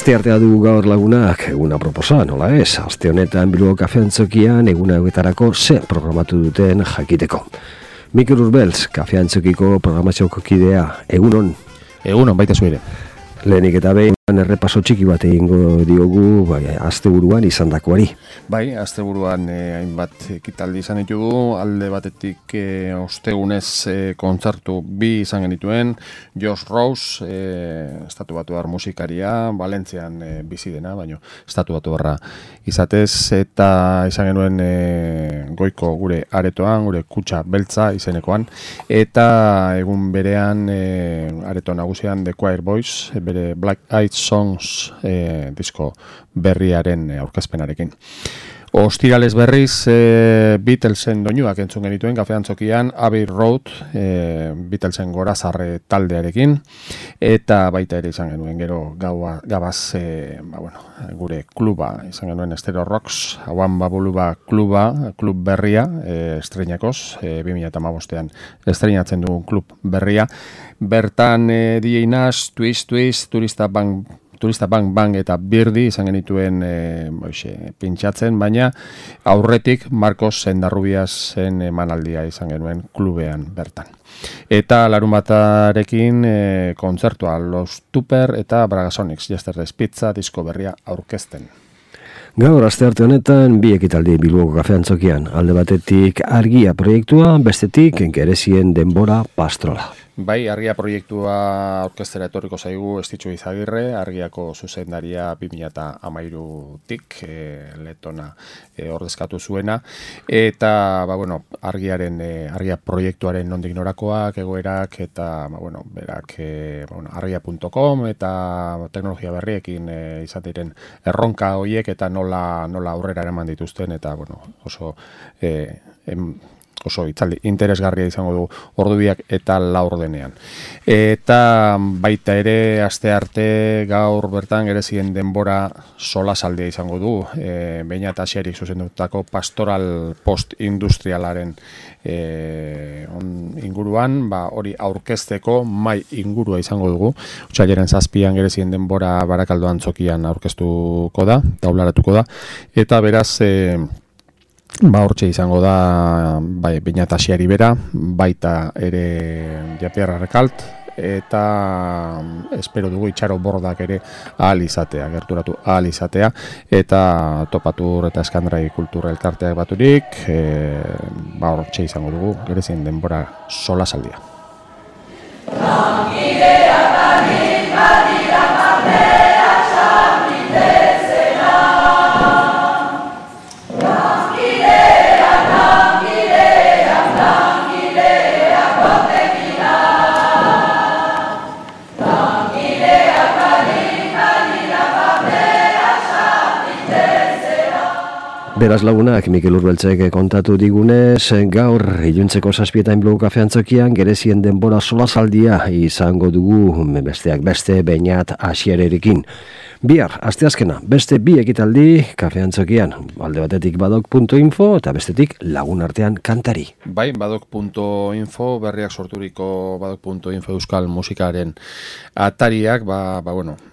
Asteartea dugu gaur lagunak, eguna proposa, nola ez? Aste honetan Bilboko Kafe Antzokian eguna eguetarako ze programatu duten jakiteko. Mikel Urbeltz, Kafe Antzokiko programazioko kidea, egunon? Egunon, baita zuire. Lehenik eta behin errepaso txiki bat egingo diogu asteburuan izandakoari. Bai, asteburuan hainbat ekitaldi izan ditugu, alde batetik ostegunez kontzertu bi izan genituen, Josh Rose, estatu batuar musikaria, Valentzian bizi dena, baina estatu batuarra izatez, eta izan genuen goiko gure aretoan, gure kutxa beltza izenekoan, eta egun berean areto nagusian The Choir Boys, bere Black Eyed Songs disko berriaren aurkezpenarekin. Ostirales berriz Beatlesen doinuak entzun genituen Kafe Antzokian, Abbey Road, Beatlesen gorazarre taldearekin, eta baita ere izan genuen gero gabaz gure kluba, izan genuen Estero Rocks, Hauan Babuluba klub berria, estreinakoz, 2015an estreinatzen dugun klub berria. Bertan DJ Nash, Twist, Turista Bang eta Birdi izan genituen pintxatzen, baina aurretik Marcos Sendarrubiasen emanaldia izan genuen klubean bertan. Eta larunbatarekin kontzertua Los Tupper eta Bragasonics, Yesterday's Pizza disko berria aurkezten. Gaur astearte honetan bi ekitaldi Bilboko Kafe Antzokian, alde batetik Argia proiektua, bestetik Gerezien denbora pastrola. Bai, Argia proiektua orkestera etorriko zaigu Estitxu Izagirre, Argiako zuzendaria 2013tik letona ordezkatu zuena, eta Argia proiektuaren nondik norakoak, egoerak, eta berak argia.com eta teknologia berriekin izan diren erronka horiek eta nola aurrera eraman dituzten, eta oso itzaldi interesgarria izango du ordubiak eta laurdenean. Eta baita ere astearte gaur bertan Gerezien denbora solasaldia izango du, Beñat Asierik zuzendutako pastoral post-industrialaren inguruan, hori aurkezteko mai ingurua izango dugu. Otsailaren 7an Gerezien denbora Barakaldo Antzokian aurkeztuko da, taularatuko da, eta beraz hortxe izango da Beñat Asiari bera, baita ere Japier Arrekalt, eta espero dugu Itxaro Bordak ere gerturatu ahal izatea, eta Topatur eta Eskandrai Kultura Elkarteak baturik, hortxe izango dugu Gerezien denbora solasaldia. Beraz lagunak, Mikel Urbeltzek kontatu digunez, gaur iluntzeko 7etan Bilboko Kafe Antzokian Gerezien denbora solasaldia izango dugu besteak beste Beñat Asiererekin. Bihar, asteazkena, beste bi ekitaldi Kafe Antzokian, alde batetik badok.info eta bestetik lagun artean kantari. Bai, badok.info, berriak sorturiko badok.info euskal musikaren atariak,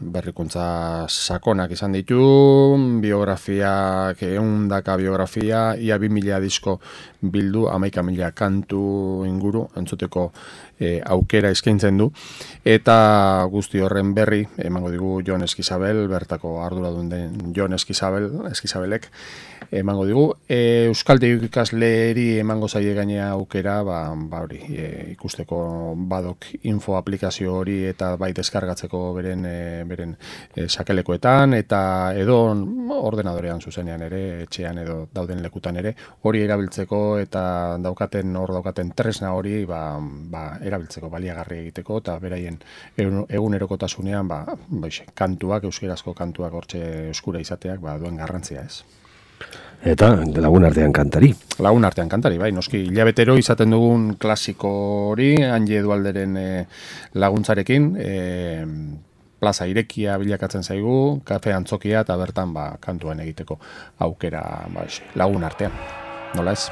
berrikuntza sakonak izan ditu, biografiak, ehundaka biografia, ia 2000 disko bildu, 11.000 kantu inguru, entzuteko aukera eskaintzen du, eta guzti horren berri emango digu Jon Eskizabel, bertako arduradun den Jon Eskizabelek emango digu. Euskaltegi ikasleeri emango zaie gainea aukera, ikusteko badok info aplikazio hori eta bai deskargatzeko beren sakelekoetan, eta edo ordenadorean zuzenean ere, etxean edo dauden lekutan ere, hori erabiltzeko eta daukaten tresna hori erabiltzeko, baliagarri egiteko, eta beraien egunerokotasunean kantuak, euskerazko kantuak hortxe eskura izateak duen garrantzia ez. Eta lagun artean kantari. Lagun artean kantari, bai, noski hilabetero izaten dugun klasiko hori, Anje Edualderen laguntzarekin, plaza irekia bilakatzen zaigu, Kafe Antzokia, eta bertan kantuan egiteko aukera lagun artean. Nola ez?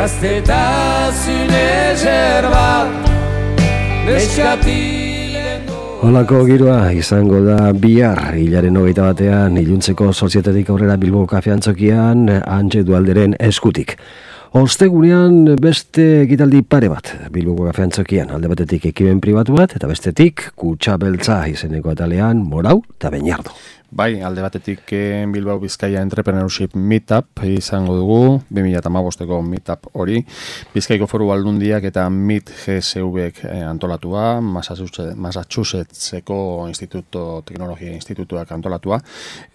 gaztetasun ezer bat neskatilen Holako giroa izango da bihar hilaren 21 iluntzeko 7:00 aurrera Bilbo Kafe Antzokian Antje Dualderen eskutik. Ostegunean beste ekitaldi pare bat Bilboko Kafe Antzokian, alde batetik ekimen pribatu bat eta bestetik Kutxa Beltza izeneko atalean Morau eta Beñardo. Bai, alde batetik Bilbao Bizkaia Entrepreneurship Meetup izango dugu, 2015ko Meetup hori, Bizkaiko Foru Aldundiak eta MIT GSV-ek antolatua, Massachusettseko Teknologia Institutuak antolatua,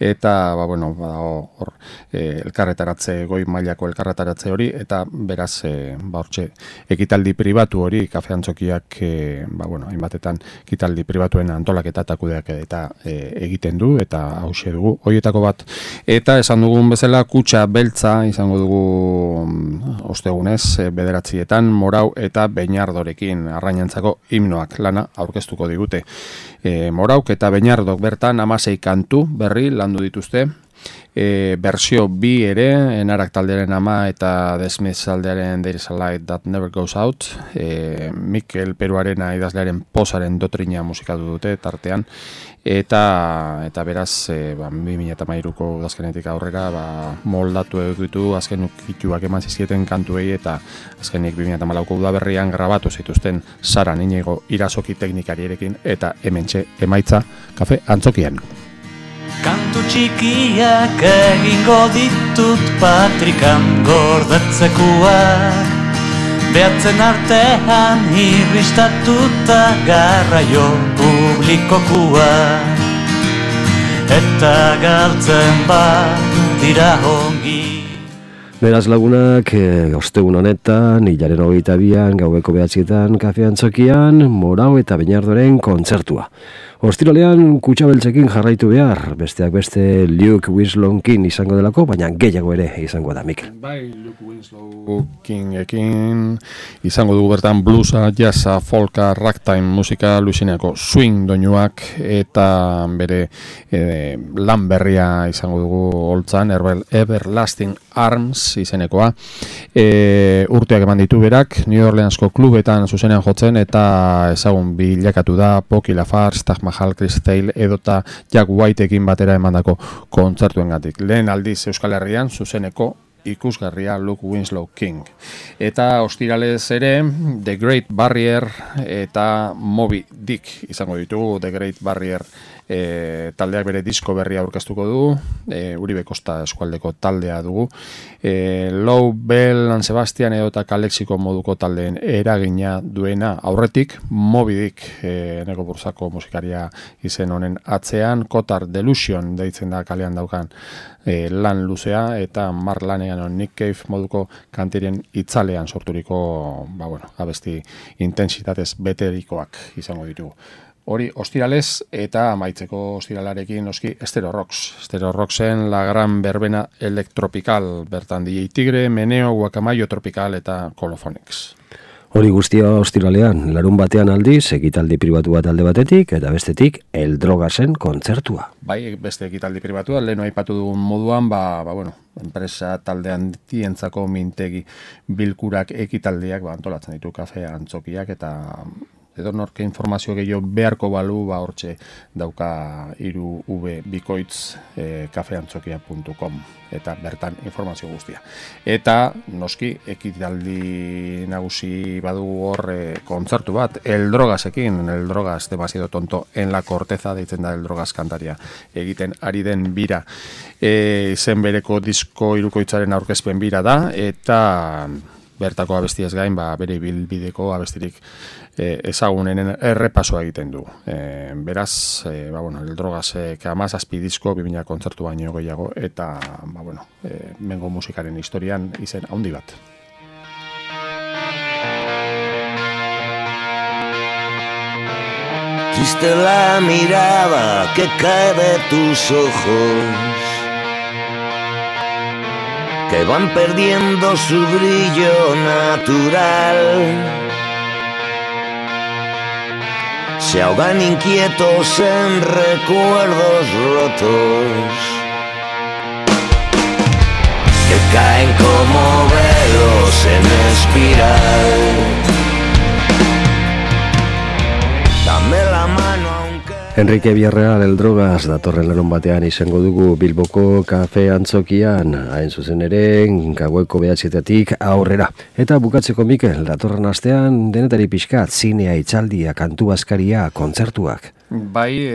eta, hor, elkarretaratze, goi mailako elkarretaratze hori, eta beraz, hortxe, ekitaldi pribatu hori, Kafe Antzokiak, hainbatetan, ekitaldi pribatuen antolaketa eta kudeak eta egiten du, eta hauxe dugu, horietako bat. Eta esan dugun bezala, Kutxa Beltza izango dugu ostegunez, 9:00 Morau eta Beñardorekin arrainantzako himnoak lana aurkeztuko digute. Morauk eta Beñardok bertan 16 kantu berri landu dituzte, Bersio 2 ere, Enarak taldearen ama eta The Smiths taldearen There is a Light That Never Goes Out, Mikel Peruarena idazlearen Posaren dotrina musikatu dute tartean, eta beraz 2013ko udazkenetik aurrera moldatu edukitu azken ukituak eman zizkieten kantuei, eta azkenik 2014ko udaberrian grabatu zituzten Sara Niñego irasoki teknikariarekin, eta hementxe emaitza Kafe Antzokian. Kantu txikiak egingo ditut patrikan gordatzekoak, behatzen artean irristatuta garraio publikokoak, eta galtzen bat dira ongi. Beraz lagunak, ostegun honetan, hilaren 22an, gaueko 9:00 Kafe Antzokian, Morau eta Beñardoren kontzertua. Ostiralean Kutxa Beltzekin jarraitu behar, besteak beste Luke Winslow King izango delako, baina gehiago ere izango da, Mikel. Bai, Luke Winslow Kingekin izango dugu bertan bluesa, jazza, folka, ragtime musika, Luisianako swing doinuak, eta bere lan berria izango dugu holtzan, Everlasting Arms izenekoa. Urteak eman ditu berak, New Orleansko klubetan zuzenean jotzen, eta ezagun bilakatu da Poki Lafarge, Taj Mahal, Chris Thale edota Jack Whiteekin batera emandako kontzertuengatik. Lehen aldiz Euskal Herrian zuzeneko ikusgarria Luke Winslow King. Eta ostiralez ere The Great Barrier eta Moby Dick izango ditugu. The Great Barrier taldeak bere disko berria aurkeztuko du, Uribe Kosta eskualdeko taldea dugu, Low Bell, San Sebastian edota Kalexiko moduko taldeen eragina duena aurretik, Moby Dick Neko Bursako musikaria izen honen atzean, Kotar Delusion deitzen da kalean daukan lan luzea, eta Mark Lanegan Nick Cave moduko kanterien itzalean sorturiko abesti intensitatez beterikoak izango ditugu. Hori ostiralez, eta amaitzeko ostiralarekin noski Estero Rocks. Estero Rocksen La Gran Verbena Electropical, bertan DJ Tigre, Meneo, Guacamayo Tropical eta Colophonics. Hori guztia ostiralean, larun batean aldiz, ekitaldi pribatu bat alde batetik, eta bestetik El Drogasen kontzertua. Bai, beste ekitaldi pribatua, leheno aipatu dugun moduan, enpresa taldean tientzako mintegi bilkurak ekitaldiak antolatzen ditu Kafe Antzokiak, eta edonorke informazio gehiago beharko balu, hortxe dauka 3v bikoitz kafeantzokia.com, eta bertan informazio guztia. Eta noski ekitaldi nagusi badugu hor kontzertu bat, El Drogasekin, El Drogas demasiado tonto en la corteza, deitzen da El Drogas kantaria egiten ari den bira. Izen bereko disko hirukoitzaren aurkezpen bira da, eta bertako abestiez gain, bere bilbideko abestirik ezagunenen errepasoa egiten du. Beraz, El Drogasek 17 disko, 2000 kontzertu baino gehiago, eta, mengo musikaren historian izen handi bat. Triste la mirada que cae de tus ojos, que van perdiendo su brillo natural, se ahogan inquietos en recuerdos rotos, que caen como velos en el espiral. Dame la mano aunque... Enrique Villarreal el Drogas datorren larun batean izango dugu Bilboko kafe antzokian, hain zuzen ere, gaueko 9:00 aurrera. Eta bukatzeko Mikel, datorren astean denetari pixkat, zinea, hitzaldia, kantu askaria, kontzertuak. Bai,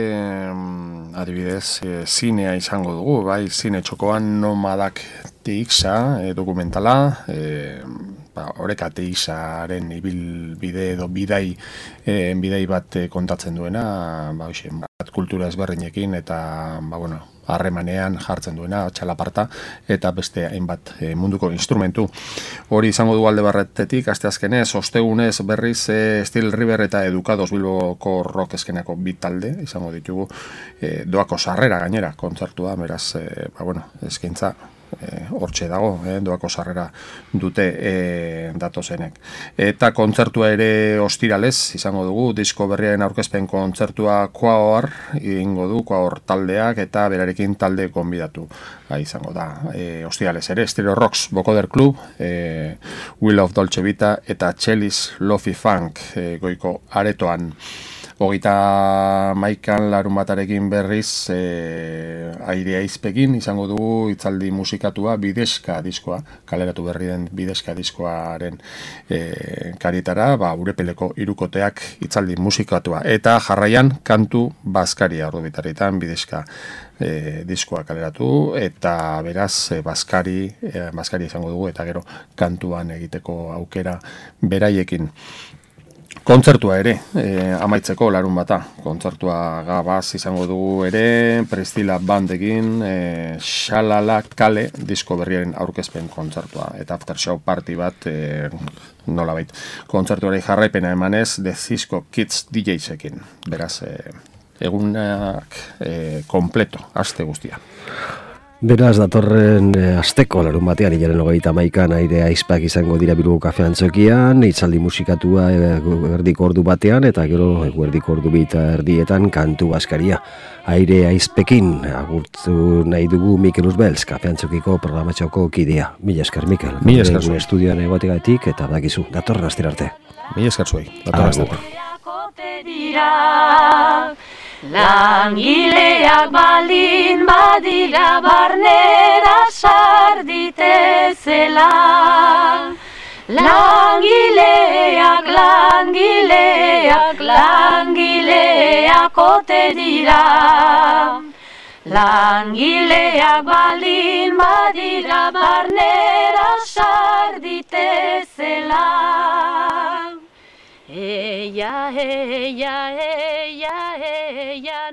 adibidez, zinea izango dugu, bai, zine txokoan Nomadak TX dokumentala, Oreka TX-aren ibilbide edo bidai bat kontatzen duena, bat kultura ezberdinekin eta, harremanean jartzen duena, txalaparta, eta beste hainbat munduko instrumentu. Hori izango du alde barretetik, asteazkenez, ostegunez berriz Steel River eta Educados Bilboko rock eskenako bi talde izango ditugu, doako sarrera gainera kontzertua, beraz, eskaintza hortxe dago, doako sarrera dute datozenek. Eta kontzertua ere ostiralez izango dugu, disko berriaren aurkezpen kontzertua Quaor egingo du, Quaor taldeak eta berarekin talde konbidatu izango da. Ostiralez ere, Stereo Rocks Vocoder Club, Will of Dolce Vita eta Chelis Lofi Funk goiko aretoan. 31 larun batarekin berriz Aire Aizpekin izango dugu hitzaldi musikatua Bideska diskoa, kaleratu berri den Bideska diskoaren karietara, Urepeleko hirukoteak hitzaldi musikatua. Eta jarraian kantu bazkaria ordu bitarritan Bideska diskoa kaleratu, eta beraz bazkari izango dugu, eta gero kantuan egiteko aukera beraiekin. Kontzertua ere, amaitzeko larun bata. Kontzertua gabaz izango dugu ere, Prestila bandekin, Xalala Kale disko berriaren aurkezpen kontzertua. Eta after show party bat, nolabait. Kontzertuari jarraipena emanez, The Cisco Kids DJs-ekin. Beraz, egunak kompleto, aste guztia. Beraz, datorren asteko larun batean, hilaren 31 Aire Aizpak izango dira Bilboko kafe antzokian, hitzaldi musikatua erdiko ordu batean, eta gero erdiko ordu bita erdietan kantu baskaria. Aire Aizpekin agurtu nahi dugu Mikel Uzbelz, kafe antzokiko programatxoko kidea. Mila esker, Mikel. Mila esker zuei. Estudioan egotegatik, eta bakizu, datorren astera arte. Mila esker zuei. Datorren astera. Langileak baldin badira barnera sarditezela. Langileak ote dira. Langileak baldin badira barnera sarditezela. Eia, eia, eia, eia.